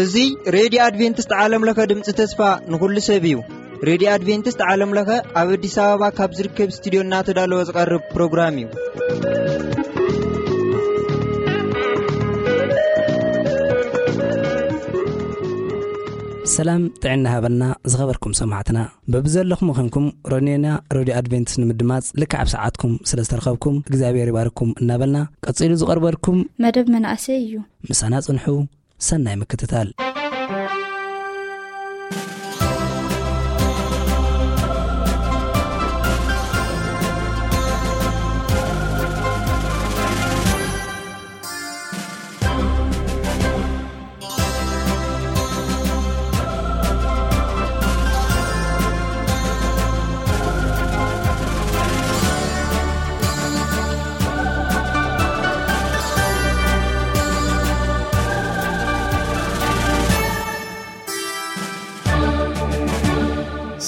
እዚ ሬድዮ ኣድቬንቲስት ዓለም ለኸ ድምፂ ተስፋ ንኹሉ ሰብ እዩ። ሬድዮ ኣድቬንቲስት ዓለም ለኸ ኣብ ኣዲስ ኣበባ ካብ ዝርከብ ስቱዲዮ እናተዳለወ ዝቐርብ ፕሮግራም እዩ። ሰላም ጥዕና ሃበና ዝኸበርኩም ሰማዕትና። በብዘለኹም ኾንኩም ሮኔና ሬድዮ ኣድቬንቲስት ንምድማጽ ልክዕ ኣብ ሰዓትኩም ስለ ዝተረኸብኩም እግዚኣብሔር ይባርኩም እናበልና ቀጺሉ ዝቐርበልኩም መደብ መናእሰይ እዩ። ምሳና ጽንሑ። ሰናይ ምክትታል።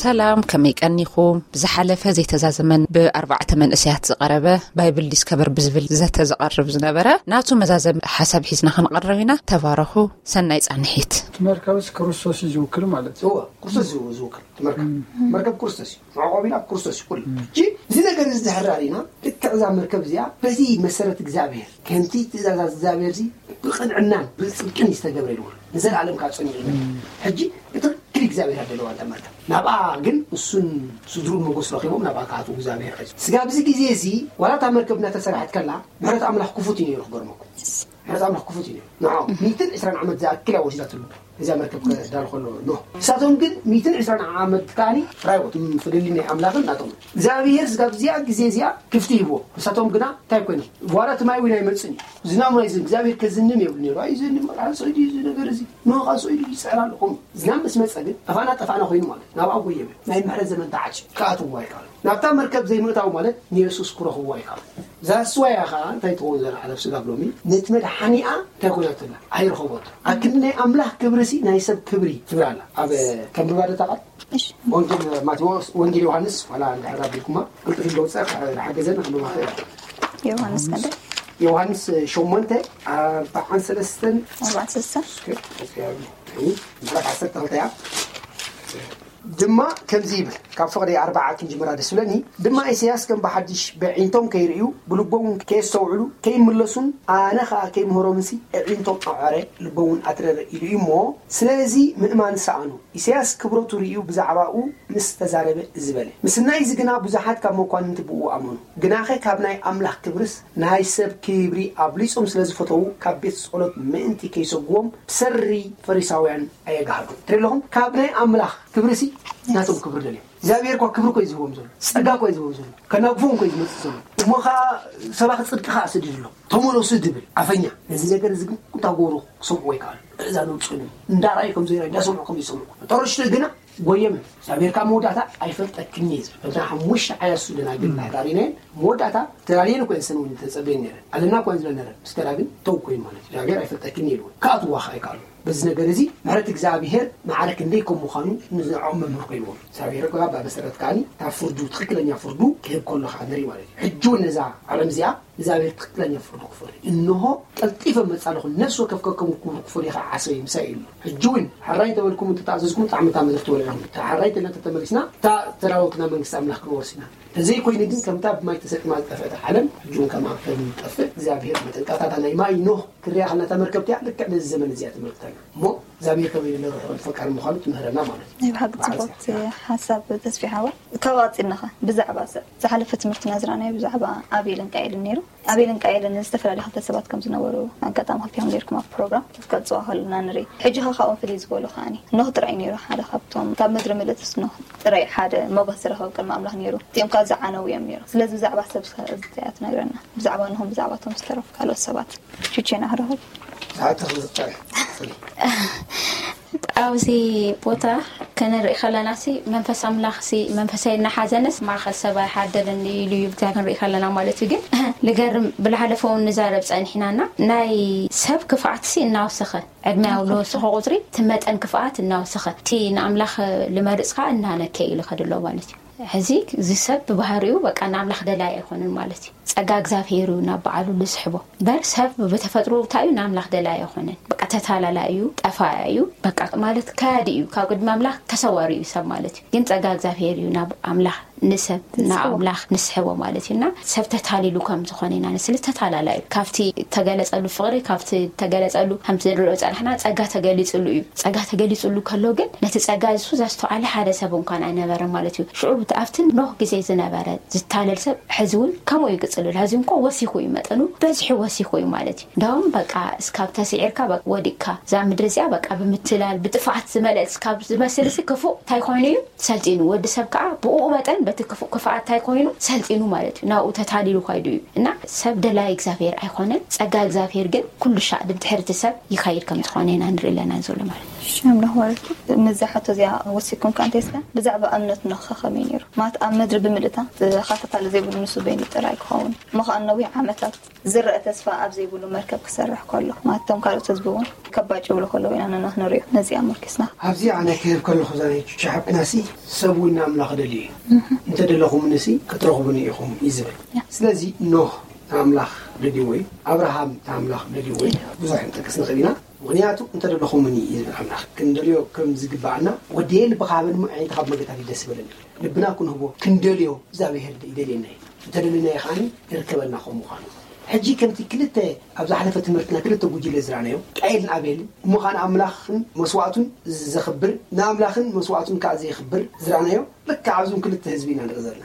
ሰላም፣ ከመይ ቀኒኹም? ብዝሓለፈ ዘይተዛዘመን ብኣርባዕተ መንእሰያት ዝቐረበ ባይብል ዲስከቨር ብዝብል ዘተ ዝቐርብ ዝነበረ ናቱ መዛዘሚ ሓሳብ ሒዝና ክንቐርብ ኢና። ተባረኹ። ሰናይ ጻንሒት። እቲ መርከብስ ክርስቶስ እዩ ዝውክል ማለት እዩ። እወ፣ ክርስቶስ እዩ ዝውክል። እቲ መርከብ፣ መርከብ ክርስቶስ እዩ። መዕቆቢና ክርስቶስ እዩ ኩሉ። ሕጂ እዚ ነገር እዚ ድሕር ኣሪና፣ ልክዕ እዛ መርከብ እዚኣ በዚ መሰረት እግዚኣብሔር፣ ከምቲ ትእዛዛት እግዚኣብሔር እዚ ብቕንዕናን ብጽድቅን ዝተገብረ ኢሉ ንዘለኣለም ካብ ጸኒዑ እዩ። ሕጂ ብትኽክል እግዚኣብሔር ኣለዋ እታ መርከብ። ናብኣ ግን እሱን ስድሩን ሞገስ ረኺቦም ናብኣ ክኣትዉ እግዚኣብሔር ሒዙ። ስጋብ እዚ ግዜ እዚ ዋላ እታ መርከብ እናተሰርሐት ከላ ምሕረት ኣምላኽ ክፉት እዩ ነይሩ ክገርመኩም። ምሕረት ኣምላኽ ክፉት እዩ ነይሩ። ንዓኦም ሚእትን ዕስራን ዓመት ዝኣክል እያ ወሲዳትሉ። እዚኣ መርከብ ከዳሉ ከሎ ኖህ። ንሳቶም ግን ሚእትን ዕስራን ዓመት ከኣኒ ራይዎ ፍልልይ ናይ ኣምላኽን ናቶም። እግዚኣብሔር ስጋብ እዚኣ ግዜ እዚኣ ክፍቲ ሂብዎ። ንሳቶም ግና እንታይ ኮይኖም? ዋላ እቲ ማይ እውን ኣይመጽን እዩ። ዝናም ናይ እግዚኣብሔር ከዝንም የብሉ ነይሩ። ኣይዘንም፣ ኣንሶይ ድዩ እዚ ነገር እዚ? ኖህ ኣንሶይ ድዩ ይጽዕር ኣሎ? ከምኡ። ዝናም ምስ መጸ ግን ጠፋና ጠፋና ኮይኑ ማለት ናብኣ ጎየበ። ናይ ምሕረት ዘመን ተዓጽዩ። ክኣትዎ ኣይከኣሉ። ናብታ መርከብ ዘይምእታው ማለት ንየሱስ ክረኽብዎ ኣይከኣሉ። እዛ ስዋያ ኸኣ እንታይ ትኸውን ዘላ ዓለብ ስጋብ ሎሚ? ነቲ መድሓኒኣ እንታይ ኮይና ትብላ? ኣይረኸቦት። ኣብ ክንዲ ናይ ኣምላኽ ክብሪ ሲ ናይ ሰብ ክብሪ ትብል ኣላ። ኣብ ከንብባ ዶ እታ ቃል? እሺ። ወንጌል ማቴዎስ፣ ወንጌል ዮሃንስ፣ ዋላ እንድሕር ኣቢልኩማ፣ ቅልጥፍ ኢለ ወፅኣ፣ ዝሓገዘኒ ከንብባ ክእል። ዮሃንስ ክንደይ? ዮሃንስ ሸሞንተ፣ ኣርባዓን ሰለስተን። ኣርባዓን ሰለስተን። እስከ፣ እስከ፣ ምዕራፍ ዓሰርተ ክልተ እያ። ድማ ከምዚ ይብል፣ ካብ ፍቕዲ ኣርባዓ ክንጅምራ ደስ ዝብለኒ፣ ድማ ኢሳያስ ከም ብሓድሽ በዒንቶም ከይርእዩ፣ ብልቦም እውን ከየስተውዕሉ፣ ከይምለሱን ኣነ ኸኣ ከይምህሮምንሲ፣ ኣዒንቶም ኣዕረ፣ ልቦም እውን ኣትረረ ኢሉ እዩ እሞ፣ ስለዚ ምእማን ሰኣኑ። ኢሳያስ ክብረቱ ርእዩ ብዛዕባኡ ምስ ተዛረበ እዚ በለ። ምስናይ እዚ ግና ብዙሓት ካብ መኳንንቲ ብኡ ኣመኑ። ግናኸ ካብ ናይ ኣምላኽ ክብርስ ናይ ሰብ ክብሪ ኣብሊጾም ስለ ዝፈተዉ፣ ካብ ቤት ጸሎት ምእንቲ ከይሰጉዎም ብሰሪ ፈሪሳውያን ኣየግሃዱ። ትርኢ ኣለኹም? ካብ ናይ ኣምላኽ ክብርሲ ናቶም ክብሪ ደልዮም። እግዚኣብሔር እኳ ክብሪ እኮ እዩ ዝህቦም ዘሎ፣ ጸጋ እኮ እዩ ዝህቦም ዘሎ፣ ከናግፎም እኮ እዩ ዝመጽእ ዘሎ። እሞ ኸዓ ሰባኺ ጽድቂ ኸዓ ስድድሎም፣ ተመለሱ ድብል ኣፈኛ። ነዚ ነገር እዚ ግን እንታይ ክገብሩ ክሰምዕዎ ኣይከኣሉ። እዛ ነውጽኑ እንዳረኣዩ ከም ዘይረኣዩ፣ እንዳሰምዑ ከም ዘይሰምዑ። ተረሽቱ ግና ጎየመ። እግዚኣብሔር ካብ መወዳእታ ኣይፈልጠክን እየ ዝብል። ከምታ ሓሙሽተ ዓያሱ ደናግል ናዳሪናየን መወዳእታ ተዳልየን እኮ እየን ሰን እውን ተጸበየን ነይረን። ኣለና እኮ እየን ዝብለን ነይረን። ምስ ከዳ ግን ተው ኮይኑ ማለት እዩ። እግዚኣብሔር ኣይፈልጠክን እየ ኢሉ። ክኣትዋ ኸዓ ኣይከኣሉ። በዚ ነገር እዚ ምሕረት እግዚኣብሔር ማዕረ ክንደይ ከም ምዃኑ ንዕኦም መምህር ኮይንዎም። እግዚኣብሔር እኮ ኣብ መሰረት ከኣኒ እታ ፍርዱ፣ ትኽክለኛ ፍርዱ ክህብ ከሎ ኸዓ ንርኢ ማለት እዩ። ሕጂ እውን ነዛ ዓለም እዚኣ እግዚኣብሔር ትኽክለኛ ፍርዱ ክፈርድ እዩ። እንሆ ቀልጢፈ እመጽእ ኣለኹ፣ ነፍሲ ወከፍ ከከም ክብሩ ክፈርድ እዩ ኸዓ ዓሰበይ ምሳይ እዩ። ሕጂ እውን ሕራይ እንተበልኩም እንተተኣዘዝኩም ጣዕሚ እታ ምድሪ ትበልዑ ኢኹም። እታ ሕራይ እንተኢልና እንተተመሊስና እታ እተዳለወትና መንግስቲ ኣምላኽ ክንወርስ ኢና። እንተዘይኮይኑ ግን ከምታ ብማይ ተሰጢማ ዝጠፍአት ዓለም ሕጂ እውን ከምኣ ከም ንጠፍእ እግዚኣብሔር መጠንቀቕታ ናይ ማይ ኖህ ክርያ ከለና እታ መርከብ እቲኣ ልክዕ ነዚ ዘመን እዚኣ ተመልክተና። እሞ እግዚኣብሔር ከመይ ዝበለ ርሑቕን ፈቃርን ምዃኑ ትምህረና ማለት እዩ። ናይ ብሓቂ ብሓቂ ጽቡቕ ጽቡቕ። ሓሳብ ተስፊ ሓወይ። ካብ ቀጺልናኸ ብዛዕባ ሰብ ዝሓለፈ ትምህርትና ዝረኣናዮ ብዛዕባ ኣቤልን ቃኤልን ነይሩ። ኣቤልን ቃኤልን ዝተፈላለዩ ክልተ ሰባት ከም ዝነበሩ ኣጋጣሚ ክልቲኦም ነይርኩም ኣብ ፕሮግራም ክትገልጽዋ ከለና ንርኢ። ሕጂ ኸ ካብኦም ፍልይ ዝበሉ ከኣኒ ኖህ ጥራይ ነይሩ ሓደ ካብቶም ካብ ምድሪ ምልእትስ ኖህ ጥራይ ሓደ ሞገስ ዝረኸብ ቅድሚ ኣምላኽ ነይሩ። እቲኦም ከኣ ዝዓነዉ እዮም ነይሮም። ስለዚ ብዛዕባ ሰብ እዚኣ ትነግረና። ብዛዕባ ኖህን ብዛዕባ እቶም ዝተረፉ ካልኦት ሰባት። ቹቼና ክረኽብ። ዝሓተኽ ዝጠርሕ። ኣብዚ ቦታ ክንርኢ ከለና ሲ መንፈስ ኣምላኽ ሲ መንፈሳይ እናሓዘነስ ማእኸል ሰብ ኣይሓደርን ኢሉ እዩ ብታ ክንርኢ ከለና ማለት እዩ። ግን ልገርም ብላሓለፈ እውን ንዛረብ ጸኒሕናና ናይ ሰብ ክፍኣት ሲ እናወሰኸ ዕድመ ኣብ ለወሰኸ ቁፅሪ እቲ መጠን ክፍኣት እናወሰኸ እቲ ንኣምላኽ ልመርፅ ከዓ እናነከ ኢሉ ከድሎ ማለት እዩ። ሕዚ እዚ ሰብ ብባህሪኡ በቃ ንኣምላኽ ደላይ ኣይኮነን ማለት እዩ። ጸጋ እግዚኣብሔር እዩ ናብ በዓሉ ልስሕቦ። በር ሰብ ብተፈጥሮ እንታይ እዩ ንኣምላኽ ደላይ ኣይኮነን። በቃ ተታላላይ እዩ፣ ጠፋያ እዩ። በቃ ማለት ከያዲ እዩ፣ ካብ ቅድሚ ኣምላኽ ተሰዋሪ እዩ ሰብ ማለት እዩ። ግን ጸጋ እግዚኣብሔር እዩ ናብ ኣምላኽ ንሰብ ናብ ኣምላኽ ንስሕቦ ማለት እዩ። እና ሰብ ተታሊሉ ከም ዝኾነ ኢና ንስሊ ተታላላ እዩ። ካብቲ ተገለጸሉ ፍቕሪ ካብቲ ተገለጸሉ ከምቲ ንሪኦ ጸናሕና ጸጋ ተገሊጽሉ እዩ። ጸጋ ተገሊጽሉ ከሎ ግን ነቲ ጸጋ እሱ ዘስተውዓለ ሓደ ሰብ እንኳን ኣይነበረ ማለት እዩ። ሽዑ ብቲ ኣብቲ ኖህ ግዜ ዝነበረ ዝታለል ሰብ ሕዚ እውን ከምኡ ይቅጽል ኣሎ። ሕዚ እንኳ ወሲኹ እዩ መጠኑ በዚሑ ወሲኹ እዩ ማለት እዩ። እንዳውም በቃ እስካብ ተስዒርካ በቃ ወዲቅካ እዛ ምድሪ እዚኣ በቃ ብምትላል ብጥፍኣት ዝመልአት እስካብ ዝመስል ሲ ክፉእ እንታይ ኮይኑ እዩ ሰልጢኑ። ወዲ ሰብ ከዓ ብኡ መጠን በቲ ክፉእ ክፍኣት እንታይ ኮይኑ ሰልጢኑ ማለት እዩ። ናብኡ ተታሊሉ ካይዱ እዩ። እና ሰብ ደላይ እግዚኣብሔር ኣይኮነን። ጸጋ እግዚኣብሔር ግን ኩሉ ሻዕ ድድሕርቲ ሰብ ይኸይድ ከም ዝኾነ ኢና ንርኢ ኣለና ዘሎ ማለት እዩ። ሽምና ማለት እዩ። ነዚ ሓቶ እዚኣ ወሲኩም ከ እንተስካ ብዛዕባ እምነት ኖህ ከ ከመይ ነይሩ? ማለት ኣብ ምድሪ ብምልእታ ተኻታታሊ ዘይብሉ ንሱ በይኑ ጥራይ ክኸውን እሞ ከኣ ነዊሕ ዓመታት ዝረአ ተስፋ ኣብ ዘይብሉ መርከብ ክሰርሕ ከሎ ማለት እቶም ካልኦት ህዝቢ እውን ከባጭ ይብሉ ከለዉ ኢና ንኖህ ንሪኦ። ነዚኣ ኣመልኪስና ኣብዚ ኣነ ክህብ ከለኹ እዛ ናይ ቹቻ ሓብትና ሲ ሰብ እውን ንኣምላኽ ደልዩ እዩ። እንተደለኹምኒ ሲ ክትረኽቡኒ ኢኹም እዩ ዝብል። ስለዚ ኖህ ንኣምላኽ ደልይዎ እዩ። ኣብርሃም ንኣምላኽ ደልይዎ እዩ። ብዙሕ ክንጠቅስ ንኽእል ኢና። ምኽንያቱ እንተደለኹምኒ እዩ ዝብል ኣምላኽ። ክንደልዮ ከም ዝግብኣና ወደየ ልብኻ ሃበኒ እሞ ኣዒንትኻ ብመንገድታት እዩ ደስ ይበለኒ። ልብና ክንህቦ ክንደልዮ እግዚኣብሄር ይደልየና እዩ። እንተደለናዮ ከዓኒ ይርከበና ከም ምዃኑ። ሕጂ ከምቲ ክልተ ኣብ ዝሓለፈ ትምህርትና ክልተ ጉጅለ ዝረኣናዮ ቃኤልን ኣቤልን እሞ ከዓኒ ኣምላኽን መስዋእቱን ዘኽብር ንኣምላኽን መስዋእቱን ከዓ ዘየኽብር ዝረኣናዮ ልክዕ ኣብዞም ክልተ ህዝቢ ኢና ንርኢ ዘለና።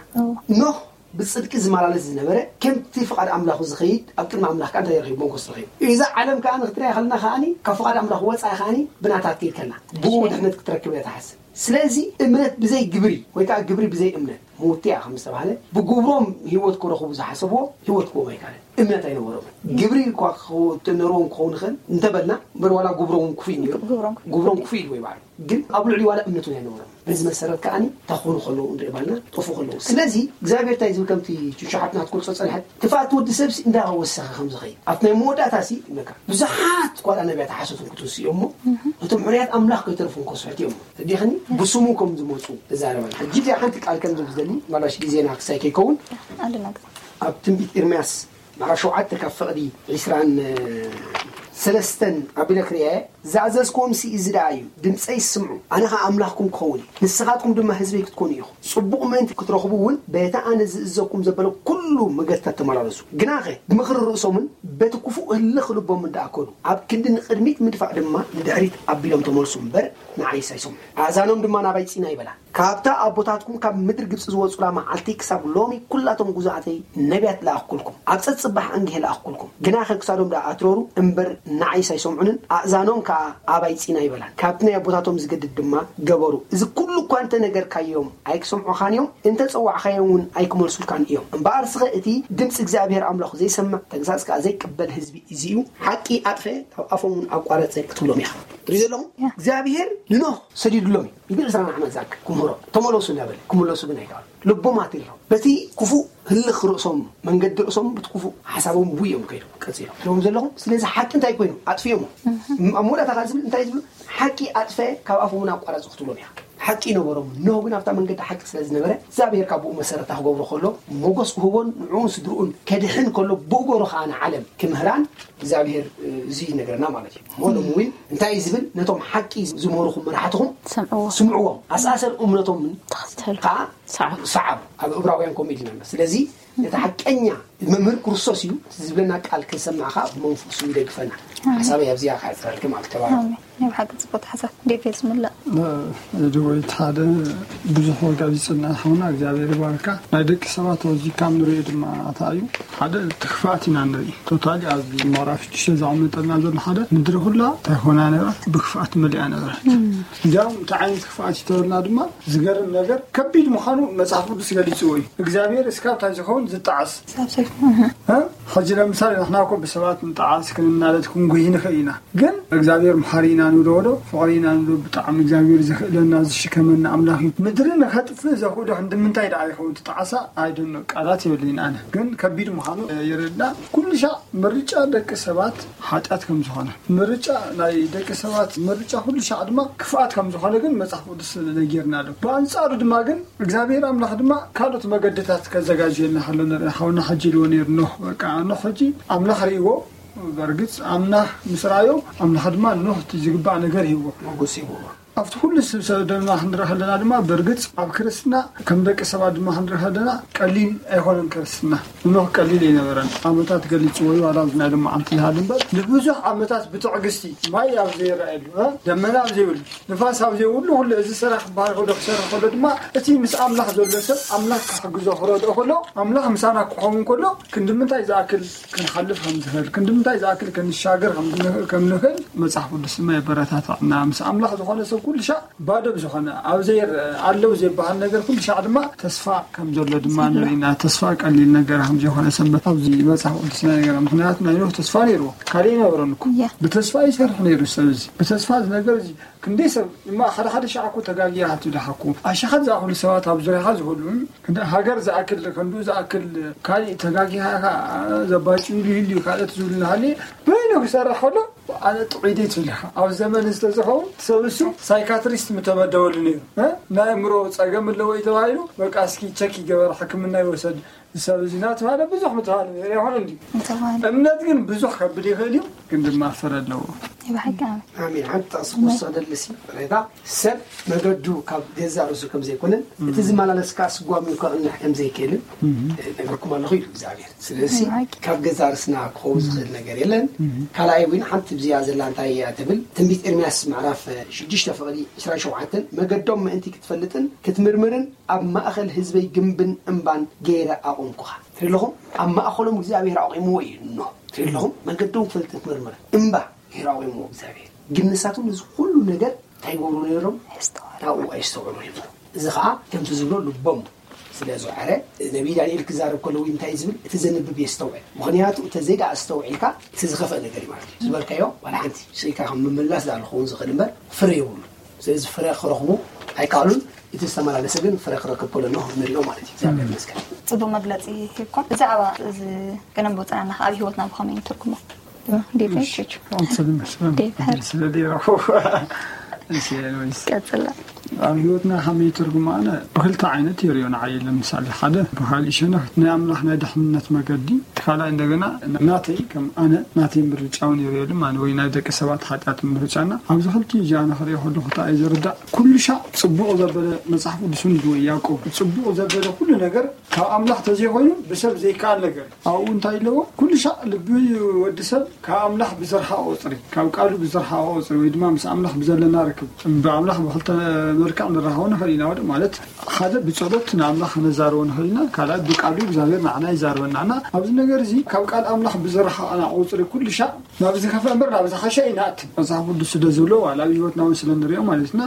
ኖህ ብጽድቂ ዝመላለስ ዝነበረ ከምቲ ፍቓድ ኣምላኹ ዝኸይድ ኣብ ቅድሚ ኣምላኽ ከዓ እንታይ ረኺቡ ሞገስ ረኺቡ። እዛ ዓለም ከዓ ንክትሪኣ ከለና ከዓኒ ካብ ፍቓድ ኣምላኽ ወፃኢ ከዓኒ ብናታ ክትከይድ ከላ ብኡ ድሕነት ክትረክብ እያ ትሓስብ። ስለዚ እምነት ብዘይ ግብሪ ወይ ከዓ ግብሪ ብዘይ እምነት ምውቲ እያ ከም ዝተባህለ ብግብሮም ህይወት ክረኽቡ ዝሓሰብዎ ህይወት ክቦም ኣይካለን። እምነት ኣይነበሮምን። ግብሪ እኳ ክነርዎም ክኸውን ይኽእል እንተበልና እምበር ዋላ ግብሮም ክፉእ እዩ ነይሩ። ግብሮም ክፉእ ኢልዎ ይባዕሉ ግን ኣብ ልዕሊ ዋላ እምነት እውን ኣይነበሮም። በዚ መሰረት ከዓኒ እንታይ ክኾኑ ከለዉ ንርኢ ባልና ጠፉ ከለዉ። ስለዚ እግዚኣብሔር እንታይ ዝብል ከምቲ ቹቹ ሓብትና ክትገልጾ ጸንሐት ክፍኣት ወዲ ሰብሲ እንዳወሰኸ ከም ዝኸይድ ኣብቲ ናይ መወዳእታ ሲ ይብለካ ብዙሓት ኳልኣ ነቢያት ሓሶትን ክትውስኡ እዮም እሞ እቶም ሕርያት ኣምላኽ ከይተርፉ ከስሕቱ እዮም። ተዲኽኒ ብስሙ ከም ዝመፁ እዛረበና ሕጂ እዚኣ ሓንቲ ቃል ከም ዝብዘሊ ማላሽ ግዜና ክሳይ ከይከውን ኣብ ትንቢት ኤርምያስ ምዕራፍ ሸውዓተ ካብ ፍቕዲ ዒስራን ሰለስተን ኣቢለ ክርእየ ዝኣዘዝክዎም ሲ እዚ ደኣ እዩ። ድምፀይ ስምዑ፣ ኣነ ኸዓ ኣምላኽኩም ክኸውን እየ፣ ንስኻትኩም ድማ ህዝበይ ክትኮኑ ኢኹም። ፅቡቕ ምእንቲ ክትረኽቡ እውን በቲ ኣነ ዝእዘኩም ዘበለ ኩሉ መገድታት ተመላለሱ። ግናኸ ብምኽሪ ርእሶምን በቲ ክፉእ ህልኽ ልቦምን ደኣ ከዱ፣ ኣብ ክንዲ ንቕድሚት ምድፋእ ድማ ንድሕሪት ኣቢሎም ተመልሱ እምበር ንዓይስ ኣይሰምዑ። ኣእዛኖም ድማ ናባይ ፂና ይበላ። ካብታ ኣቦታትኩም ካብ ምድሪ ግብጺ ዝወጹላ መዓልቲ ክሳብ ሎሚ ኩላቶም ግዙኣተይ ነቢያት ለኣኽኩልኩም፣ ኣብ ጸጽባሕ ኣንጊሀ ለኣኽኩልኩም። ግናኸ ክሳዶም ደኣ ኣትረሩ እምበር ንዓይስ ኣይሰምዑንን፣ ኣእዛኖም ከኣ ኣባይ ጺን ኣይበላን። ካብቲ ናይ ኣቦታቶም ዝገድድ ድማ ገበሩ። እዚ ኩሉ እኳ እንተ ነገርካዮም ኣይክሰምዑኻን እዮም፣ እንተ ጸዋዕኻዮም እውን ኣይክመልሱልካን እዮም። እምበኣር ስኸ እቲ ድምጺ እግዚኣብሄር ኣምላኹ ዘይሰምዕ፣ ተግሳጽ ከኣ ዘይቅበል ህዝቢ እዚ እዩ። ሓቂ ኣጥፈአ፣ ካብ ኣፎም እውን ኣቋረጸ ክትብሎም ኢኻ። ትርኢ ዘለኹም እግዚኣብሄር ንኖህ ሰዲዱሎም እዩ። ይብል ዕስራን ዓመት ዝኣክል ክምህሮ ተመለሱ እናበለ ክምለሱ ግን ኣይከኣሉ። ልቦም ኣትሪሮም በቲ ክፉእ ህልኽ ርእሶም መንገዲ ርእሶም ብቲ ክፉእ ሓሳቦም ብኡ እዮም ከይዶም ቀፂሎም ትሪኦም ዘለኹም። ስለዚ ሓቂ እንታይ ኮይኑ ኣጥፊኦሞ ኣብ መወዳእታ ከዓ ዝብል እንታይ ዝብሉ ሓቂ ኣጥፈ ካብ ኣፎም እውን ኣቋራፂ ክትብሎም ኢኻ። ሓቂ ይነበሮም ኖህ ግን ኣብታ መንገዲ ሓቂ ስለ ዝነበረ እግዚኣብሔር ካብ ብኡ መሰረታ ክገብሮ ከሎ ሞጎስ ክህቦን ንዕኡን ስድርኡን ከድሕን ከሎ ብእገሩ ከዓ ንዓለም ክምህራን እግዚኣብሔር እዚ ይነግረና ማለት እዩ። ሞሎም እውን እንታይ እዩ ዝብል ነቶም ሓቂ ዝምህርኹም መራሕትኹም ስምዕዎም ኣሰኣሰር እምነቶምን ከዓ ሰዓቡ ኣብ እብራውያን ከምኡ ኢልና ስለዚ ነቲ ሓቀኛ መምህር ክርስቶስ እዩ ዝብለና ቃል ክንሰማዕ ከዓ ብመንፈሱ ይደግፈና። ሓሳበይ ኣብዚኣ ክዓፅረልኪ ማለት ተባረኹ። ናይ ብሓቂ ፅቡቅ ሓሳብ ዴቪል ዝምላእ። ድወይት ሓደ ብዙሕ ወጋ ዝፅና ሓውና እግዚኣብሔር ይባርካ። ናይ ደቂ ሰባት ኣዚካ ንሪኦ ድማ ኣታ እዩ ሓደ ትክፋት ኢና ንርኢ ቶታሊ ኣብዚ ምዕራፍ ሽዱሽተ ዘቐመጠልና ዘሎ ሓደ ምድሪ ኩላ እንታይ ኮና ነብራ ብክፍኣት መሊኣ ነበረት። እንዲያውም እንታይ ዓይነት ክፍኣት ይተበልና ድማ ዝገርም ነገር ከቢድ ምዃኑ መፅሓፍ ቅዱስ ገሊፅዎ እዩ። እግዚኣብሔር እስካብ እንታይ ዝኸውን ዝጠዓስ ሕጂ ለምሳሌ ንሕና ኮ ብሰባት ንጠዓስ ክንናደድ ክንጉሂ ንኽእል ኢና። ግን እግዚኣብሔር መሓሪ ኢና። ንብሎ ወዶ ፍቕሪ ኢና ንብሎ። ብጣዕሚ እግዚኣብሔር ዝኽእለና ዝሽከመና ኣምላኽ እዩ። ምድሪ ንኸጥፍእ ዘኽእሎ ክንዲ ምንታይ ደኣ ይኸውን እቲ ጣዕሳ? ኣይደኖ፣ ቃላት የብለይን ኣነ። ግን ከቢድ ምዃኑ የረድእ። ኩሉ ሻዕ ምርጫ ደቂ ሰባት ሓጢኣት ከም ዝኾነ፣ ምርጫ ናይ ደቂ ሰባት ምርጫ ኩሉ ሻዕ ድማ ክፍኣት ከም ዝኾነ ግን መጽሓፍ ቅዱስ ነጊርና ኣሎ። ብኣንጻሩ ድማ ግን እግዚኣብሔር ኣምላኽ ድማ ካልኦት መገድታት ከዘጋጅየልና ከሎ ንርኢ። ሓውና ሓጂ ኢልዎ ነይሩ ኖህ። በቃ ኖህ ሕጂ ኣምላኽ ርእይዎ። በርግጽ ኣምላኽ ምስ ረኣዮ፣ ኣምላኽ ድማ ኖህ እቲ ዝግባእ ነገር ሂብዎ። ሞገስ ሂብዎ። ኣብቲ ኩሉ ሰብ ሰብ ድማ ክንርኢ ከለና ድማ በርግጽ ኣብ ክርስትና ከም ደቂ ሰባት ድማ ክንርኢ ከለና ቀሊል ኣይኮነን ክርስትና። ኖህ ቀሊል ኣይነበረን። ዓመታት ገሊጽዎ እዩ፣ ዋላ ኣብዚ ናይ ሎማዓንቲ ዝሃሉ እምበር ንብዙሕ ዓመታት ብትዕግስቲ ማይ ኣብ ዘይረኣየሉ፣ እ፣ ደመና ኣብ ዘይብሉ፣ ንፋስ ኣብ ዘይብሉ ኩሉ እዚ ስራሕ ክበሃል ከሎ ክሰርሕ ከሎ ድማ እቲ ምስ ኣምላኽ ዘሎ ሰብ ኣምላኽ ክሕግዞ ክረድኦ ከሎ ኣምላኽ ምሳና ክኸውን ከሎ ክንዲ ምንታይ ዝኣክል ክንሓልፍ ከም ዝኽእል፣ ክንዲ ምንታይ ዝኣክል ክንሻገር ከም ዝንኽ-፣ ከም ንኽእል መጽሓፍ ቅዱስ ድማ የበረታትዐና። ምስ ኣምላኽ ዝኾነ ሰብ ኩሉ ሻዕ ባዶ ብዝኾነ ኣብ ዘይርአ ኣለዉ ዘይበሃል ነገር ኩሉ ሻዕ ድማ ተስፋ ከም ዘሎ ድማ ንርኢና። ተስፋ ቀሊል ነገር ከም ዘይኮነ ሰንበት ኣብዚ መጽሓፍ ቅዱስና ነገር። ምኽንያቱ ናይ ኖህ ተስፋ ነይርዎ። ካልእ ኣይነበረን እኮ። እያ። ብተስፋ ይሰርሕ ነይሩ ሰብ እዚ። ብተስፋ እዚ ነገር እዚ ክንደይ ሰብ እማ ሓደ ሓደ ሻዕ እኮ ተጋጊኻ ትብልኻ እኮ። ኣሽሓት ዝኣኽሉ ሰባት ኣብ ዙርያኻ ዝህሉ፣ ክንዲ ሃገር ዝኣክል፣ ክንዱ ዝኣክል ካልእ ተጋጊኻ ኢኻ ዘባጭ ኢሉ ይህሉ እዩ፣ ካልኦት ዝብሉ እናሃለየ በይኑ ክሰርሕ ከሎ ኣነ ጥዑይ ድየ ትብል ኢኻ። ኣብ ዘመን ዝተዝኸውን ሰብ እሱ ሳይካትሪስት ምተመደበሉ ነይሩ። እ? ናይ ኣእምሮ ጸገም ኣለዎ እዩ ተባሂሉ፣ በቃ እስኪ ቸክ ይገበር፣ ሕክምና ይወሰድ። ሰብ እዚ እናተባህለ ብዙሕ ምትሃሉ ነይሩ ይኾን እንዲ። ምትሃሉ። እምነት ግን ብዙሕ ከብል ይኽእል እዩ፣ ግን ድማ ፍረ ኣለዎ። ናይ ብሓቂ ኣሜን። ኣሜን። ሓንቲ ጥቕሲ ክወስኽ ደልሲ፣ ሬታ ሰብ መገዱ ካብ ገዛ ርእሱ ከም ዘይኮነን፣ እቲ ዝመላለስ ከኣ ስጓም ከቕንዕ ከም ዘይክእልን፣ እም። ነገርኩም ኣለኹ ኢሉ እግዚኣብሔር። ስለዚ ናይ ብሓቂ። ካብ ገዛ ርእስና ክኸውን ዝኽእል ነገር የለን። እም። ካልኣይ እውን ሓንቲ ብዚኣ ዘላ እንታይ እያ ትብል፣ ትንቢት ኤርምያስ ምዕራፍ ሽዱሽተ ፍቕዲ ዕስራን ሸውዓተን፣ መገዶም ምእንቲ ክትፈልጥን ክትምርምርን ኣብ ማእኸል ህዝበይ ግንብን እምባን ገይረ ኣቑምኩኻ። ትርኢ ኣለኹም፣ ኣብ ማእኸሎም እግዚኣብሔር ኣቑምዎ እዩ። ኖ፣ ትርኢ ኣለኹም፣ መገዶም ክፈልጥ ክምርምር እምባ ገይረ ኣቑምዎ እግዚኣብሔር። ግን ንሳቶም ነዚ ኩሉ ነገር እንታይ ይገብሩ ነይሮም? የስተውዕሉ። ናብኡ ኣይስተውዕሉ ነይሮም። እዚ ኸዓ ከምቲ ዝብሎ ልቦም ስለ ዝወዓረ፣ ነቢይ ዳንኤል ክዛረብ ከሎ እውን እንታይ ዝብል፣ እቲ ዘንብብ የስተውዕል። ምኽንያቱ እንተዘይ ደኣ ኣስተውዒልካ፣ እቲ ዝኸፍአ ነገር እዩ ማለት እዩ። ዝበልካዮ ዋላ ሓንቲ ስኢልካ ከም ምምላስ ደኣ ክኸውን ዝኽእል እምበር፣ ፍረ የብሉን። ስለዚ ፍረ ክረኽቡ ኣይከኣሉን። እቲ ዝተመላለሰ ግን ፍረ ክረክብ ከሎ ኖህ ንሪኦ ማለት እዩ። እግዚኣብሔር ይመስገን። ጽቡቅ መግለጺ ሂብኩም። ብዛዕባ እዚ ቅደም ብውጽና ኣብ ህይወትና ብኸመይ ንትርጉሞ? ዴቭ እሺ፣ ቹቹ። ኣንተ ዝመስለን ዴቭ ሀር። ስለ ዴቭ እሺ፣ ኤኒዌይስ። ቀጽላ። ኣብ ህይወትና ከመይ ትርጉም ኣነ ብክልተ ዓይነት ይሪኦ ንዓይ። ለምሳሌ ሓደ ብካሊእ ሸነኽ ናይ ኣምላኽ ናይ ድሕንነት መገዲ፣ እቲ ካልኣይ እንደገና ናተይ ከም ኣነ ናተይ ምርጫ እውን ይሪኦ። ድማ ወይ ናይ ደቂ ሰባት ሓጢኣት ምርጫና ኣብዚ ክልቲኡ እዚኣ ንኽሪኦ ከለኹ እንታይ እዩ ዝርዳእ? ኩሉ ሻዕ ጽቡቕ ዘበለ መጽሓፍ ቅዱስ እውን ይብሉ ያዕቆብ፣ ጽቡቕ ዘበለ ኩሉ ነገር ካብ ኣምላኽ ተዘይኮይኑ ብሰብ ዘይከኣል ነገር። ኣብኡ እንታይ ኣለዎ? ኩሉ ሻዕ ልቢ ወዲ ሰብ ካብ ኣምላኽ ብዝረሓቐ ቁጽሪ፣ ካብ ቃሉ ብዝረሓቐ ቁጽሪ፣ ወይ ድማ ምስ ኣምላኽ ብዘለና ርክብ፣ ብኣምላኽ ብኽልተ መልክዕ ንራኸቦ ንኽእል ኢና። ወደ ማለት ሓደ ብጸሎት ንኣምላኽ ክነዛርቦ ንኽእል ኢና፣ ካልኣይ ብቃሉ እግዚኣብሔር ንዓና ይዛርበና። እና ኣብዚ ነገር እዚ ካብ ቃል ኣምላኽ ብዝረሓቐና ቁጽሪ ኩሉ ሻዕ ናብ ዝኸፍአ እምበር ናብ ዝሓሸ ኣይንኣትን። መጽሓፍ ቅዱስ ስለ ዝብሎ ዋላ ኣብ ህይወትና እውን ስለ ንሪኦ ማለት እና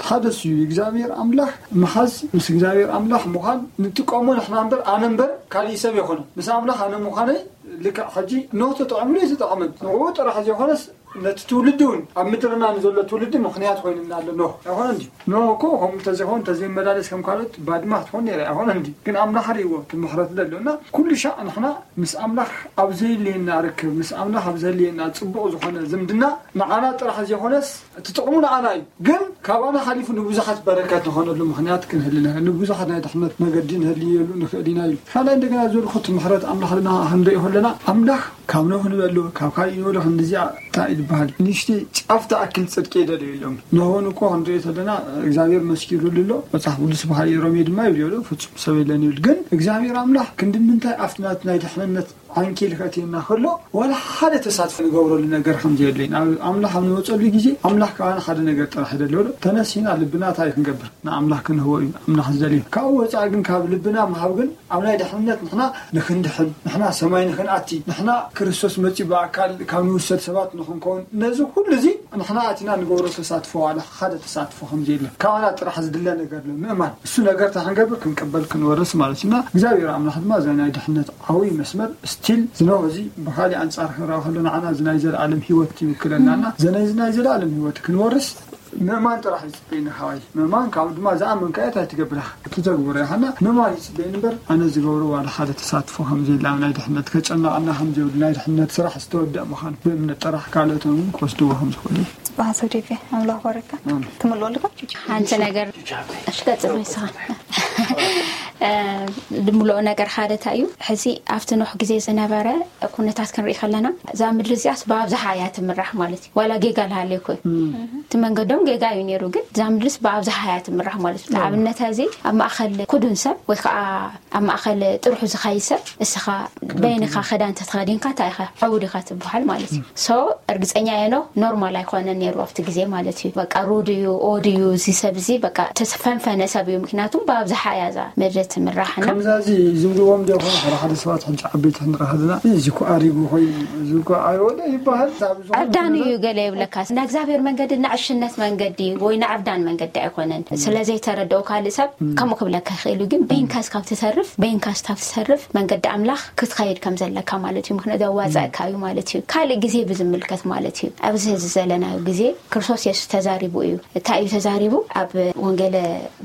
ሓደ እሱ እዩ። እግዚኣብሔር ኣምላኽ ምሓዝ፣ ምስ እግዚኣብሔር ኣምላኽ ምዃን ንጥቀሞ ንሕና እምበር ኣነ እምበር ካሊእ ሰብ የኾነ። ምስ ኣምላኽ ኣነ ምዃነይ ልክዕ ሕጂ ኖህ ተጠቐምሉ ኣይተጠቐመን ንዕኡ ጥራሕ ዘይኮነስ ነቲ ትውልዲ እውን ኣብ ምድርና ንዘሎ ትውልዲ ምኽንያት ኮይኑና ኣሎ። ኖህ ኣይኮነ እንዲ ኖህ እኮ ከምኡ እንተዘይኸውን እንተዘይመላለስ ከም ካልኦት ባድማ ክትኾን ነይረ ኣይኮነ እንዲ ግን ኣምላኽ ርእይዎ እቲ ምሕረት ዘሎ እና ኩሉ ሻዕ ንሕና ምስ ኣምላኽ ኣብ ዘየልየና ርክብ፣ ምስ ኣምላኽ ኣብ ዘልየና ጽቡቕ ዝኾነ ዝምድና፣ ንዓና ጥራሕ ዘይኮነስ፣ እቲ ጥቕሙ ንዓና እዩ። ግን ካባና ሓሊፉ ንብዙሓት በረከት ንኾነሉ ምኽንያት ክንህሊ ንኽእል፣ ንብዙሓት ናይ ድሕነት መገዲ ንህልየሉ ንኽእል ኢና ኢሉ። ካልኣይ እንደገና ዝበልኩ፣ እቲ ምሕረት ኣምላኽ ልና ክንሪኦ ከለና፣ ኣምላኽ ካብ ኖህ ንበሉ፣ ካብ ካልእ ንበሉ፣ ክንዲዚኣ እንታይ እዩ ዝበሃል? ንእሽተይ ጫፍ ትኣክል ጽድቂ ይደልዩ ኢሎም። ኖህ እውን እኮ ክንሪኦ ተለና፣ እግዚኣብሔር መስኪሩሉ ኣሎ። መጽሓፍ ቅዱስ ብኻልእ ሮሜ ድማ ይብሉ፣ ፍጹም ሰብ የለን ይብል። ግን እግዚኣብሔር ኣምላኽ ክንዲ ምንታይ ኣብቲ ናት ናይ ድሕንነት ዓንኬል ከእትየና ከሎ ዋላ ሓደ ተሳትፎ ንገብረሉ ነገር ከም ዘየድለይን፣ ኣብ ኣምላኽ ኣብ ንመጸሉ ግዜ ኣምላኽ ከኣ ሓደ ነገር ጥራሕ ይደልዮ ኣሎ። ተነሲና ልብና እንታይ ክንገብር? ንኣምላኽ ክንህቦ እዩ ኣምላኽ ዝደልዮ። ካብኡ ወጻኢ ግን ካብ ልብና ምሃብ ግን ኣብ ናይ ድሕንነት ንሕና ንክንድሕን፣ ንሕና ሰማይ ንክንኣቲ፣ ንሕና ክርስቶስ መጺኡ ብኣካል ካብ ንውሰድ ሰባት ንኽንኮ ነዚ ኩሉ እዚ ንሕና ኣቲና ንገብሮ ተሳትፎ ዋላ ሓደ ተሳትፎ ከም ዘየለ ካባና ጥራሕ ዝድለ ነገር ኣሎ ምእማን። እሱ ነገር ተክንገብር ክንቅበል ክንወርስ ማለት እና እግዚኣብሔር ኣምላኽ ድማ እዛ ናይ ድሕነት ዓብይ መስመር ስቲል ዝነው እዚ ብካሊእ ኣንጻር ክረኣ ከሎ ንዓና እዚ ናይ ዘለኣለም ህይወት ይውክለናና ዘነዚ ናይ ዘለኣለም ህይወት ክንወርስ ምእማን ጥራሕ ይጽበይና ሓዋይ። ምእማን ካብ ድማ ዝኣመንካ እያ እንታይ ትገብር ኢኻ? እቲ ተግብሮ ኢኻና ምእማን ይጽበይኒ እምበር ኣነ ዝገብሮ ዋላ ሓደ ተሳትፎ ከም ዘየለ ኣብ ናይ ድሕነት ከጨነቐና ከም ዘይብሉ ናይ ድሕነት ስራሕ ዝተወደአ ምዃኑ ብእምነት ጥራሕ ካልኦት እውን ክወስድዎ ከም ዝኽእሉ እዩ። ጽባሕ ሰው ዴቪ ኣምላኽ ባረካ። ትምልኦ ኣለካ? ሓንቲ ነገር እሺ ቀጽል ንስኻ። ድምልኦ ነገር ሓደ እንታይ እዩ? ሕዚ ኣብቲ ኖህ ግዜ ዝነበረ ኩነታት ክንርኢ ከለና እዛ ምድሪ እዚኣስ ብኣብዝሓ እያ ትምራሕ ማለት እዩ። ዋላ ጌጋ ልሃለዩ ኮይኑ እቲ መንገዶም ጌጋ እዩ ነይሩ፣ ግን እዛ ምድርስ ብኣብዝሓ እያ ትምራሕ ማለት እዩ። ንኣብነት እዚ ኣብ ማእኸል ኩዱን ሰብ ወይ ከዓ ኣብ ማእኸል ጥርሑ ዝኸይድ ሰብ እስኻ በይንኻ ክዳን ተተኸዲንካ እንታይ ኢኻ ዕቡድ ኢኻ ትበሃል ማለት እዩ። ሶ እርግፀኛ እየ ኖህ ኖርማል ኣይኮነን ነይሩ ኣብቲ ግዜ ማለት እዩ። በቃ ሩድ እዩ፣ ኦድ እዩ፣ እዚ ሰብ እዚ በቃ ተፈንፈነ ሰብ እዩ። ምክንያቱም ብኣብዝሓ እያ እዛ ምድሪ ትምራሕ እና ከምዛ እዚ ዝብልዎም ዶ ይኾኑ ሓደ ሓደ ሰባት ሕጂ ዓበይቲ ክንርኢ ከለና እዚ እኮ ኣሪጉ ኮይኑ እዚ እኮ ኣይወደ ይበሃል። ዕብዳን እዩ ገለ ይብለካ። ናይ እግዚኣብሔር መንገዲ ንዕሽነት መንገዲ ወይ ንዕብዳን መንገዲ ኣይኮነን። ስለዘይተረድኦ ካልእ ሰብ ከምኡ ክብለካ ይኽእል እዩ። ግን በይንካስ ካብ ትተርፍ በይንካስ ካብ ትተርፍ መንገዲ ኣምላኽ ክትኸይድ ከም ዘለካ ማለት እዩ። ምክንያቱ ዘዋፀእካ እዩ ማለት እዩ። ካልእ ግዜ ብዝምልከት ማለት እዩ። ኣብዚ ሕዚ ዘለናዮ ግዜ ክርስቶስ የሱስ ተዛሪቡ እዩ። እንታይ እዩ ተዛሪቡ? ኣብ ወንጌለ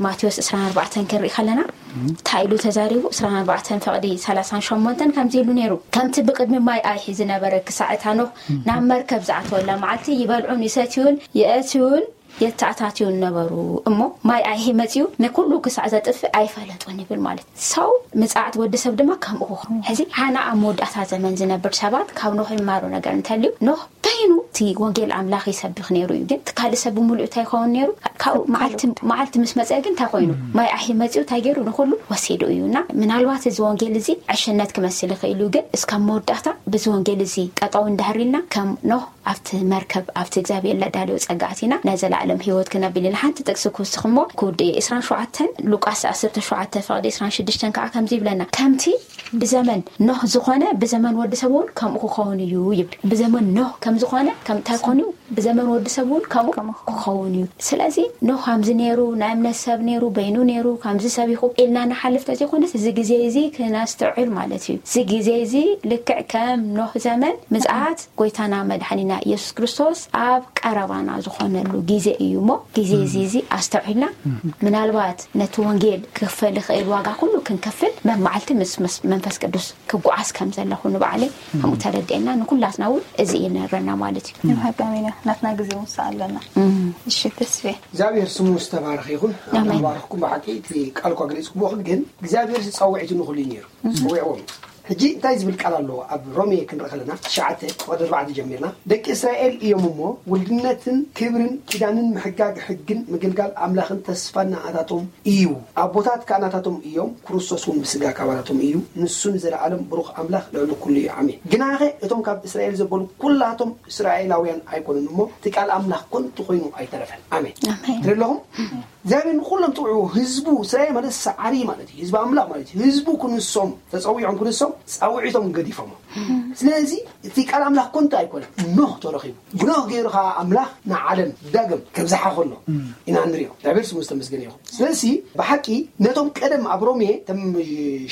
ማቴዎስ ዕስራን ኣርባዕተን ክንርኢ ከለና እንታይ ኢሉ ተዛሪቡ? ዕስራን ኣርባዕተን ፍቕዲ ሰላሳን ሸሞንተን ከምዚ ኢሉ ነይሩ፣ ከምቲ ብቕድሚ ማይ ኣይሒ ዝነበረ ክሳዕ እታ ኖህ ናብ መርከብ ዝኣተወላ መዓልቲ ይበልዑን ይሰትዩን የእትዩን የተኣታትዩን ነበሩ እሞ ማይ ኣይሒ መፅዩ ንኩሉ ክሳዕ ዘጥፍእ ኣይፈለጡን ይብል ማለት ሰው ምፅዓት ወዲ ሰብ ድማ ከምኡ ክኸውን። ሕዚ ሓና ኣብ መወዳእታ ዘመን ዝነብር ሰባት ካብ ኖህ ይማሩ ነገር እንተልዩ ኖህ በይኑ እቲ ወንጌል ኣምላኽ ይሰብኽ ነይሩ እዩ። ግን እቲ ካልእ ሰብ ብምሉእ እንታይ ይኸውን ነይሩ? ካብኡ መዓልቲ ምስ መፀ ግን እንታይ ኮይኑ? ማይ ኣሒ መፂኡ እንታይ ገይሩ? ንኩሉ ወሲዱ እዩ። እና ምናልባት እዚ ወንጌል እዚ ዕሽነት ክመስል ይኽእል እዩ። ግን እስካብ መወዳእታ ብዚ ወንጌል እዚ ጠጠው እንዳህር ኢልና ከም ኖህ ኣብቲ መርከብ ኣብቲ እግዚኣብሔር ለዳልዮ ጸጋ ኣቲና ናይ ዘለኣለም ህይወት ክነብል ኢና። ሓንቲ ጥቅሲ ክውስኽ እሞ ክውድእ እየ። ዕስራን ሸውዓተን ሉቃስ ዓሰርተ ሸውዓተ ፍቕዲ ዕስራን ሽዱሽተን ከዓ ከምዚ ይብለና፣ ከምቲ ብዘመን ኖህ ዝኾነ ብዘመን ወዲ ሰብ እውን ከምኡ ክኸውን እዩ ይብል። ብዘመን ኖህ ከም ዝኾነ ከምታይ ኮኑ ብዘመን ወዲ ሰብ እውን ከምኡ ክኸውን እዩ። ስለዚ ኖህ ከምዚ ነይሩ፣ ናይ እምነት ሰብ ነይሩ፣ በይኑ ነይሩ፣ ከምዚ ሰብ ኢኹ ኢልና ንሓልፍ ተዘይኮነስ እዚ ግዜ እዚ ክነስተውዕል ማለት እዩ። እዚ ግዜ እዚ ልክዕ ከም ኖህ ዘመን ምጽኣት ጎይታና መድሓኒና ኢየሱስ ክርስቶስ ኣብ ቀረባና ዝኾነሉ ግዜ እዩ እሞ ግዜ እዚ እዚ ኣስተውዒልና ምናልባት ነቲ ወንጌል ክኽፈል ይኽእል ዋጋ ኩሉ ክንከፍል መማዓልቲ ምስ መንፈስ ቅዱስ ክጓዓዝ ከም ዘለኹ ንባዕለይ ከምኡ ተረዲአና ንኩላትና እውን እዚ እዩ ነረና ማለት እዩ። ንሃጋሚና ናትና ግዜ ውሳ ኣለና። እሺ ተስፌ እግዚኣብሔር ስሙ ዝተባረኸ ይኹን። ኣባረኽኩም ብሓቂ እቲ ቃል እኳ ገሊፅኩሞ ግን እግዚኣብሔር ዝፀውዒቱ ንኩሉ እዩ ነይሩ ፀዊዕዎም። ሕጂ እንታይ ዝብል ቃል ኣለዎ ኣብ ሮሜ ክንርኢ ከለና ትሽዓተ ቁጥሪ ኣርባዕተ ጀሚርና ደቂ እስራኤል እዮም እሞ ውልድነትን ክብርን ኪዳንን ምሕጋግ ሕግን ምግልጋል ኣምላኽን ተስፋን ንኣታቶም እዩ። ኣቦታት ከኣ ናታቶም እዮም፣ ክርስቶስ እውን ብስጋ ካባታቶም እዩ። ንሱ ንዘለኣለም ብሩኽ ኣምላኽ ልዕሊ ኩሉ እዩ። ኣሜን። ግናኸ እቶም ካብ እስራኤል ዘበሉ ኩላቶም እስራኤላውያን ኣይኮኑን እሞ እቲ ቃል ኣምላኽ ኮንቱ ኮይኑ ኣይተረፈን። ኣሜን። ኣሜን። ትርኢ ኣለኹም? እግዚኣብሔር ንኩሎም ጽውዑ ህዝቡ እስራኤል ማለት ሰዓሪ ማለት እዩ። ህዝቢ ኣምላኽ ማለት እዩ። ህዝቡ ክንሶም ተጸዊዖም ክንሶም ጻውዒቶም ገዲፎሞ። ስለዚ እቲ ቃል ኣምላኽ ኮንቱ ኣይኮነን። ኖህ ተረኺቡ ብኖህ ገይሩ ከዓ ኣምላኽ ንዓለም ዳግም ከብዝሓ ከሎ ኢና ንሪኦ። እግዚኣብሔር ስሙ ዝተመስገነ ይኹን። ስለዚ ብሓቂ ነቶም ቀደም ኣብ ሮሜ ተም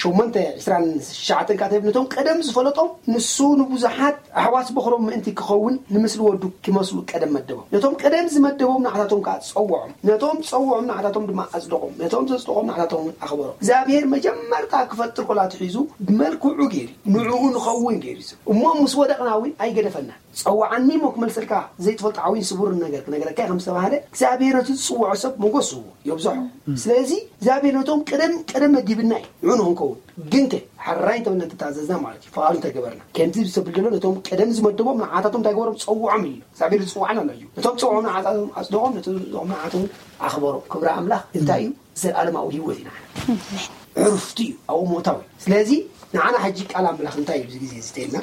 ሸሞንተ ዕስራን ትሽዓተን ከዓ ነቶም ቀደም ዝፈለጦም ንሱ ንብዙሓት ኣሕዋት በኽሮም ምእንቲ ክኸውን ንምስሊ ወዱ ክመስሉ ቀደም መደቦም። ነቶም ቀደም ዝመደቦም ንዓታቶም ከዓ ጸውዖም። ነቶም ጸውዖም ንዓታቶም ድማ ኣጽደቖም። ነቶም ዘጽደቖም ንዓታቶም እውን ኣኽበሮም። እግዚኣብሔር መጀመርታ ክፈጥር ኮላ ኣትሒዙ ብመልክዑ ገይሩ ንዕኡ ንኸውን ገይሩ እዩ። እሞ ምስ ወደቕና እውን ኣይገደፈና። ጸውዓኒ እሞ ክመልሰልካ ዘይትፈልጦ ዓብይን ስቡርን ነገር ክነገረካ ከም ዝተባህለ እግዚኣብሔር ነቲ ዝጽውዖ ሰብ ሞገስ ዝህቦ የብዝሖ። ስለዚ እግዚኣብሔር ነቶም ቅደም ቅደም መዲብና እዩ ንዑ ንክንከውን ግንከ ሓራይ እንተበልና እንተተኣዘዝና ማለት እዩ ፍቓዱ እንተገበርና ከምዚ ዝተብል ዘሎ ነቶም ቅደም ዝመደቦም ንዓታቶም እንታይ ገበሮም ጸውዖም እዩ እግዚኣብሔር ዝጽውዓና ኣሎ እዩ ነቶም ጸውዖም ንዓታቶም ኣጽደቖም ነቶም ንዓቶም ኣኽበሮም ክብሪ ኣምላኽ እንታይ እዩ ዘለኣለማዊ ህይወት እዩ ንዓና ዕርፍቲ እዩ ኣብኡ ሞታዊ ስለዚ ንዓና ሕጂ ቃል ኣምላኽ እንታይ እዩ ግዜ ዝተልና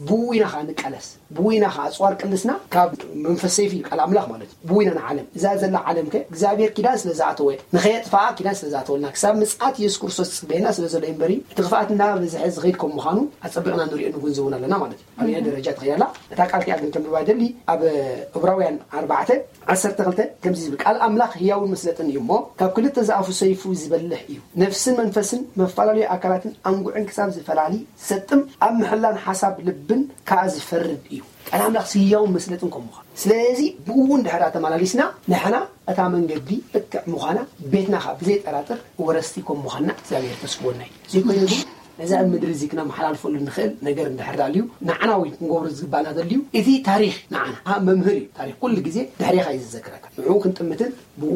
ብኡ ኢና ከዓ ንቃለስ፣ ብኡ ኢና ከዓ ኣፅዋር ቅልስና ካብ መንፈስ ሰይፍ እዩ ቃል ኣምላኽ ማለት እዩ። ብኡ ኢና ንዓለም፣ እዛ ዘላ ዓለም ከ እግዚኣብሔር ኪዳን ስለ ዝኣተወ፣ ንኸየጥፋኣ ኪዳን ስለ ዝኣተወልና፣ ክሳብ ምጽኣት የሱስ ክርስቶስ ዝፅበየና ስለ ዘሎ እዩ እምበሪ፣ እቲ ክፍኣት እናበዝሐ ዝኸይድ ከም ምዃኑ ኣፀቢቕና ንሪኦ ንግንዘቡን ኣለና ማለት እዩ። ኣብ ደረጃ ትኸይድ ኣላ። እታ ቃል እቲኣ ግን ከንብባ ደሊ ኣብ ዕብራውያን ኣርባዕተ ዓሰርተ ክልተ ከምዚ ዝብል ቃል ኣምላኽ ህያውን መስለጥን እዩ እሞ፣ ካብ ክልተ ዝኣፉ ሰይፉ ዝበልሕ እዩ፣ ነፍስን መንፈስን መፈላለዩ ኣካላትን ኣንጉዕን ክሳብ ዝፈላሊ፣ ዝሰጥም፣ ኣብ ምሕላን ሓሳብ ልብን ከዓ ዝፈርድ እዩ። ቃል ኣምላኽ ህያውን መስለጥን ከም ምዃኑ፣ ስለዚ ብኡ እውን ድሕር ተመላሊስና፣ ንሕና እታ መንገዲ ልክዕ ምዃና ቤትና ከዓ ብዘይጠራጥር ወረስቲ ከም ምዃንና እግዚኣብሔር ተስፍወና እዩ። ዘይኮይኑ ግን ነዛ ኣብ ምድሪ እዚ ክነመሓላልፈሉ ንኽእል ነገር እንድሕር ኣልዩ፣ ንዓና ወይ ክንገብሮ ዝግባእና ዘልዩ፣ እቲ ታሪኽ ንዓና መምህር እዩ። ታሪኽ ኩሉ ግዜ ድሕሬኻ እዩ ዝዘክረካ። ንዕኡ ክንጥምትን ብኡ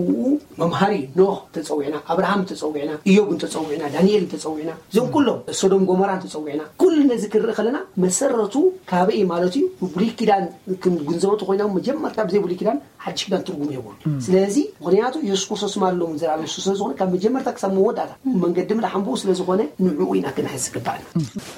መምሃሪ ኖህ ተጸዊዕና፣ ኣብርሃም ተጸዊዕና፣ ኢዮብ እንተጸዊዕና፣ ዳንኤል እንተጸዊዕና፣ እዞም ኩሎም ሶዶም ጎሞራ እንተጸዊዕና፣ ኩሉ ነዚ ክንርኢ ከለና መሰረቱ ካበይ ማለት እዩ? ብሉይ ኪዳን ክንግንዘቦ ተኾይና መጀመርታ ብዘይ ብሉይ ኪዳን ሓድሽ ኪዳን ትርጉም የብሉ። ስለዚ ምኽንያቱ የሱስ ክርስቶስ ማለት ሎምን ዘላለም ንሱ ስለ ዝኾነ ካብ መጀመርታ ክሳብ መወዳእታ መንገዲ ምድሓን ብኡ ስለ ዝኾነ ንዕኡ ኢና ክንሕዝ ዝግባእና።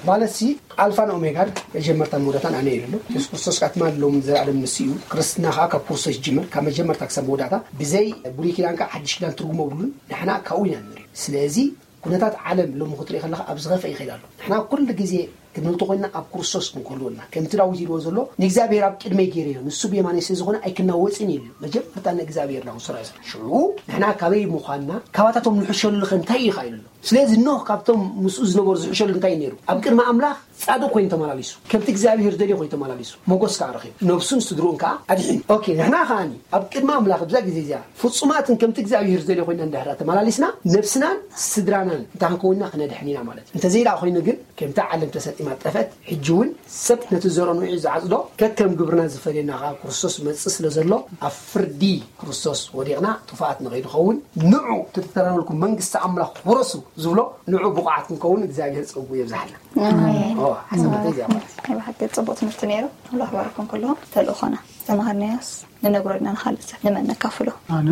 ማለት ሲ ኣልፋን ኦሜጋን መጀመርታን መወዳእታን ኣነ እዩ ኣሎ። የሱስ ክርስቶስ ካትማን ሎምን ዘላለም ንሱ እዩ። ክርስትና ከዓ ካብ ክርስቶስ ይጅምር፣ ካብ መጀመርታ ክሳብ መወዳእታ። ብዘይ ብሉይ ኪዳን ከዓ ሓድሽ ኪዳን ትርጉም የብሉን። ንሕና ካብኡ ኢና ንርኢ። ስለዚ ኩነታት ዓለም ሎሚ ክትርኢ ከለኻ ኣብ ዝኸፍአ ይኸይድ ኣሎ። ንሕና ኩሉ ግዜ ክንብል ተኾይንና ኣብ ክርስቶስ ክንክህልወልና ከምቲ ዳዊት ኢልዎ ዘሎ ንእግዚኣብሔር ኣብ ቅድመይ ገይረዮ ንሱ ብየማነይ ስለ ዝኾነ ኣይክናወፅን እዩ ኢሉ። መጀመርታ ንእግዚኣብሔር ናው ስራሕ ስራሕ ሽዑ ንሕና ካበይ ምዃንና ካባታቶም ንሕሸሉ ኸ እንታይ እዩ ኻይሉ ኣሎ? ስለዚ ኖህ ካብቶም ምስኡ ዝነበሩ ዝሕሸሉ እንታይ እዩ ነይሩ? ኣብ ቅድሚ ኣምላኽ ጻድቕ ኮይኑ ተመላሊሱ፣ ከምቲ እግዚኣብሔር ዝደልዮ ኮይኑ ተመላሊሱ፣ ሞጎስ ከዓ ረኺቡ፣ ነብሱን ስድርኡን ከዓ ኣድሒኑ። ኦኬ፣ ንሕና ከዓኒ ኣብ ቅድሚ ኣምላኽ ኣብዛ ግዜ እዚኣ ፍጹማትን ከምቲ እግዚኣብሔር ዝደልዮ ኮይና እንድሕር ተመላሊስና፣ ነብስናን ስድራናን እንተ ክንከውንና ክነድሕን ኢና ማለት እዩ። እንተዘይደኣ ኮይኑ ግን ከምቲ ዓለም ተሰጢማ ጠፈት፣ ሕጂ እውን ሰብ ነቲ ዘርኦ ንዑ ዝዓጽዶ ከከም ግብርና ዝፈልየና ከዓ ክርስቶስ መጽእ ስለ ዘሎ ኣብ ፍርዲ ክርስቶስ ወዲቕና ጥፋኣት ንኸይንኸውን ንዑ ተተተረበልኩም መንግስቲ ኣምላኽ ውረሱ ዝብሎ ንዑ ብቑዓት ክንከውን እግዚኣብሔር ጸጉ የብዝሓልና። ኣሜን። ኦ፣ ሓሳብ እዚኣ ማለት እዩ። ናይ ብሓቂ ጽቡቕ ትምህርቲ ነይሩ። ኣምላኽ ባርኩም ኩልኹም። ተልእኾና ዝተማሃርናዮስ ንነግሮ ዲና ንኻልእ ሰብ ንመን ነካፍሎ? ኣነ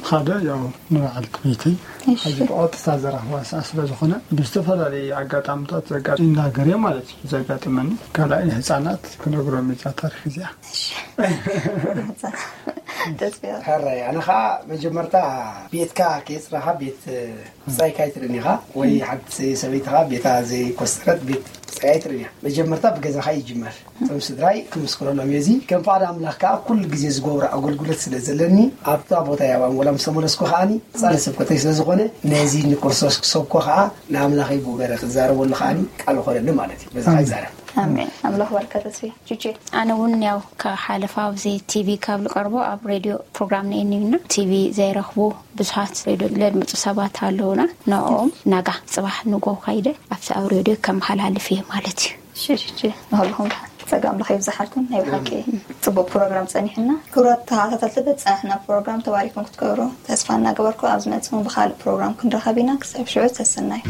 ሓደ ያው ንበዓልቲ ቤተይ እሺ። ሕዚ ብቐጥታ ዘራኽባ ሰዓ ስለ ዝኾነ ብዝተፈላለየ ኣጋጣምታት ዘጋ-፣ ይናገር እየ ማለት እዩ። ዘጋጥመኒ ካልኣይ ንህፃናት ክነግሮም እዛ ታሪክ እዚኣ። እሺ። ተስፋ። ሕራይ፣ ኣነ ኸዓ መጀመርታ ቤትካ ከየፅረኻ ቤት ብፃይካ ኣይትርእን ኢኻ፣ ወይ ሓንቲ ሰበይትኻ ቤታ ዘይኮስተረት ቤት ብፃይ ኣይትርእን ኢኻ። መጀመርታ ብገዛኻ ይጅመር። እቶም ስድራይ ክምስክረሎም እየ። እዚ ከም ፍቓድ ኣምላኽ ከኣ ኩሉ ግዜ ዝገብሮ ኣገልግሎት ስለ ዘለኒ ኣብታ ቦታ እየ ኣብ ኣንጎላ ምስ ተመለስኩ ከኣኒ ጻለ ስብከተይ ስለ ዝኾነ ነዚ ንክርስቶስ ክሰብኮ ከኣ ንኣምላኸይ ብኡ ገይረ ክዛረበሉ ከኣኒ ቃል ኾነኒ ማለት እዩ። በዚ ከኣ ይዛረብ። ኣሜን። ኣምላኽ ባርካ ተስፌ። ጁጄ። ኣነ እውን ያው ካብ ሓለፋ ኣብዚ ቲቪ ካብ ዝቐርቦ ኣብ ሬድዮ ፕሮግራም ነይኒና ቲቪ ዘይረኽቡ ብዙሓት ሬድዮ ለድምፁ ሰባት ኣለውና። ንዕኦም ናጋ ጽባሕ ንጎ ካይደ ኣብቲ ኣብ ሬድዮ ከመሓላልፍ እየ ማለት እዩ። ሽሽሽ ንኸልኹም ጸጋ ኣምላኽ ይብዝሓልኩም። ናይ ብሓቂ ጽቡቕ ፕሮግራም ጸኒሕና። ክቡራት ተኸታተልቲ በቲ ጸናሕና ፕሮግራም ተባሪኩም ክትገብሩ ተስፋ እናገበርኩ ኣብ ዝመጽእ እውን ብኻልእ ፕሮግራም ክንራኸብ ኢና። ክሳብ ሽዑ ሰሰናዩ።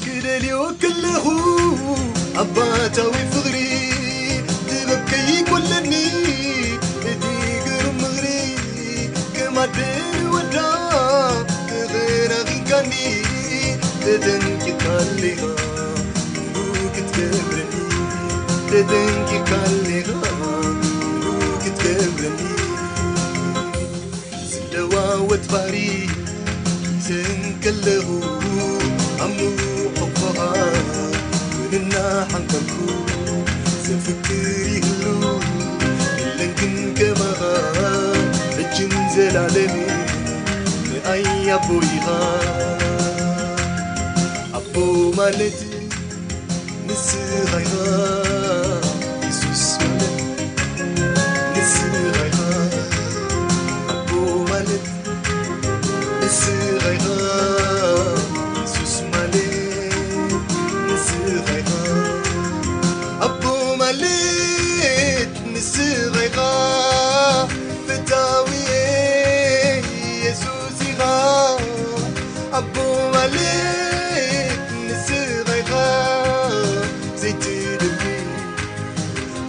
ክደልዮ ከለኹ ኣባታዊ ፍቕሪ ጥበብ ከይጎለኒ እቲ ግርም ምኽሪ ከም ኣደ ንወዳ ተኸናኺንካኒ ተጠንቂቕካ ኣለኻ ክትገብረኒ ተጠንቂቕካ ኣለኻ ክትገብረኒ ዝለዋወጥ ባህሪ ዘንከለኹ ኣብ ምውቕቕኻ እውን እናሓንከልኩ ዘፍቅር ይህሉ የለን ግን ከማኻ ሕጅን ዘላለምን ንኣይ ኣቦ ኢኻ ኣቦ ማለት ንስኻ ኢኻ የሱስ ማለት ንስኻ ኢኻ ኣቦ ማለት ንስኻ ኢኻ የሱስ ማለት ንስኻ ኣቦ ማለት ንስኻ ኢኻ፣ ዘይቲ ልቢ፣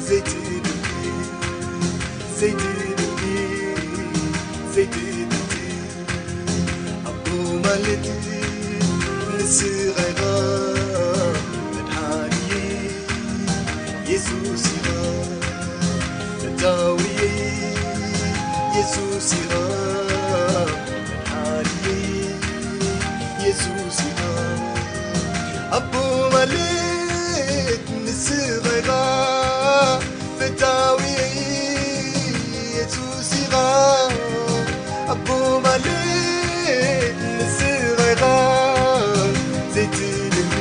ዘይቲ ልቢ፣ ዘይቲ ልቢ፣ ዘይቲ ልቢ። ኣቦ ማለት ንስኻ ኢኻ፣ መድሓኒየይ የሱስ ኢኻ፣ ፈታዊየይ የሱስ ኢኻ፣ መድሓኒየይ የሱስ ኢኻ። ኣቦ ማለት ንስኻ ኢኻ፣ ፈታዊየይ የሱስ ኢኻ። ኣቦ ማለት ንስኻ ኢኻ፣ ዘይቲ ልቢ፣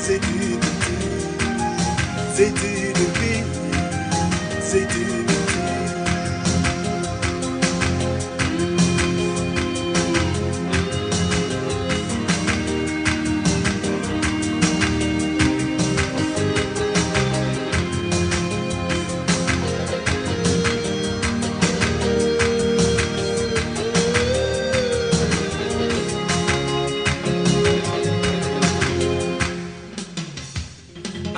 ዘይቲ ልቢ፣ ዘይቲ ልቢ፣ ዘይቲ ልቢ።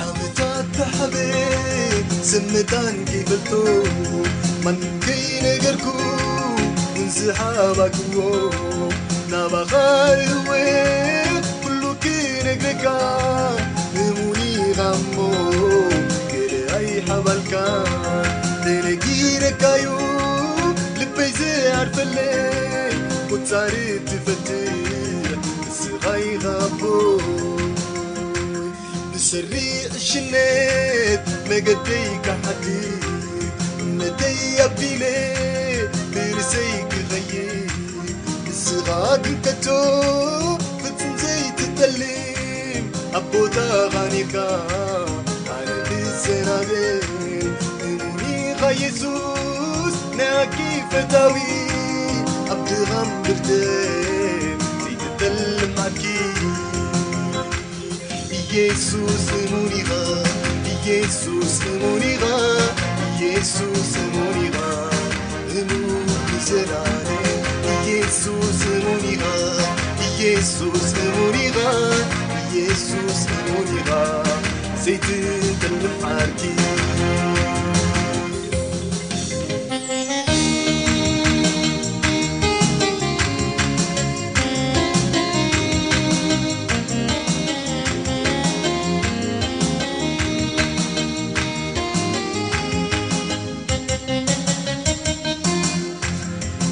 ዓመታት ተሓበ ስምታን ከይፈልጦ፣ ማንም ከይነገርኩ፣ ንዝሓባክዎ ናባኻ እወ፣ ኩሉ ክነግረካ፣ እሙን ኢኻ እሞ፣ ገለ ኣይሓባልካ፣ ተነጊረካዩ፣ ልበይ ዝዓርፈለይ፣ ቁጻሪ ትፈትሕ፣ ንስኻ ኢኻ ኣቦ። ብሰሪ ዕሽነት መገደይ ክሓድግ፣ እምነተይ ኣቢለ ብርእሰይ ክኸይድ፣ ንስኻ ግን ከቶ ፍጹም ዘይትጠልም፣ ኣብ ቦታኻ ኔርካ ኣነ ክሰናበድ። እሙን ኢኻ የሱስ ናይ ዓርኪ ፈታዊ፣ ኣብ ድኻም ብርትዕ ዘይትጠልም ዓርኪ። ኢየሱስ እሙን ኢኻ፣ ኢየሱስ እሙን ኢኻ፣ ኢየሱስ እሙን ኢኻ፣ እሙን ንዘላለም። ኢየሱስ እሙን ኢኻ፣ ኢየሱስ እሙን ኢኻ፣ ኢየሱስ እሙን ኢኻ፣ ዘይትጠልም ዓርኪ።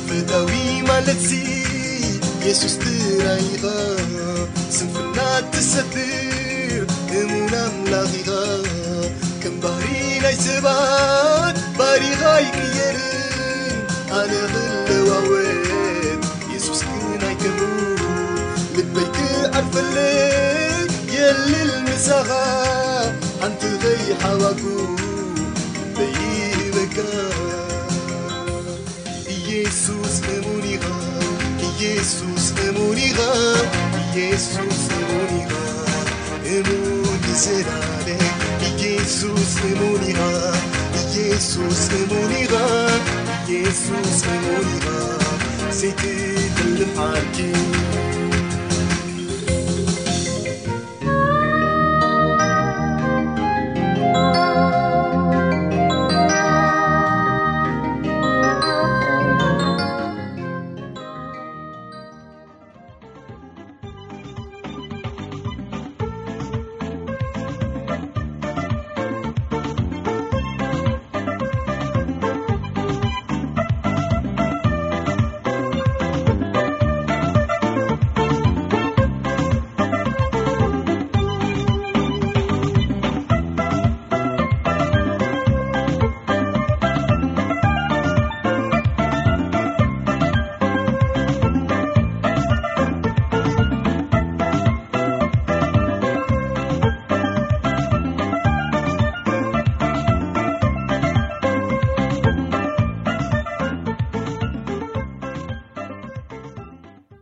ፈታዊ ማለትሲ የሱስ ጥራይ ኢኻ፣ ስንፍና ትሰትር እሙን ኣምላኽ ኢኻ። ከም ባህሪ ናይ ሰባት ባህሪኻ ኣይቅየርን፣ ኣነ ክለዋወጥ የሱስ ግን ኣይከብሩ። ልበይ ክዓርፈለይ የልል ምሳኻ፣ ሓንቲ ከይሓባኩ ልበይ ይህበካ። ኢየሱስ እሙን ኢኻ፣ ኢየሱስ እሙን ኢኻ፣ ኢየሱስ እሙን ኢኻ፣ እሙን ንዘላለም። ኢየሱስ እሙን ኢኻ፣ ኢየሱስ እሙን ኢኻ፣ ኢየሱስ እሙን ኢኻ፣ ዘይትጠልም ዓርኪ።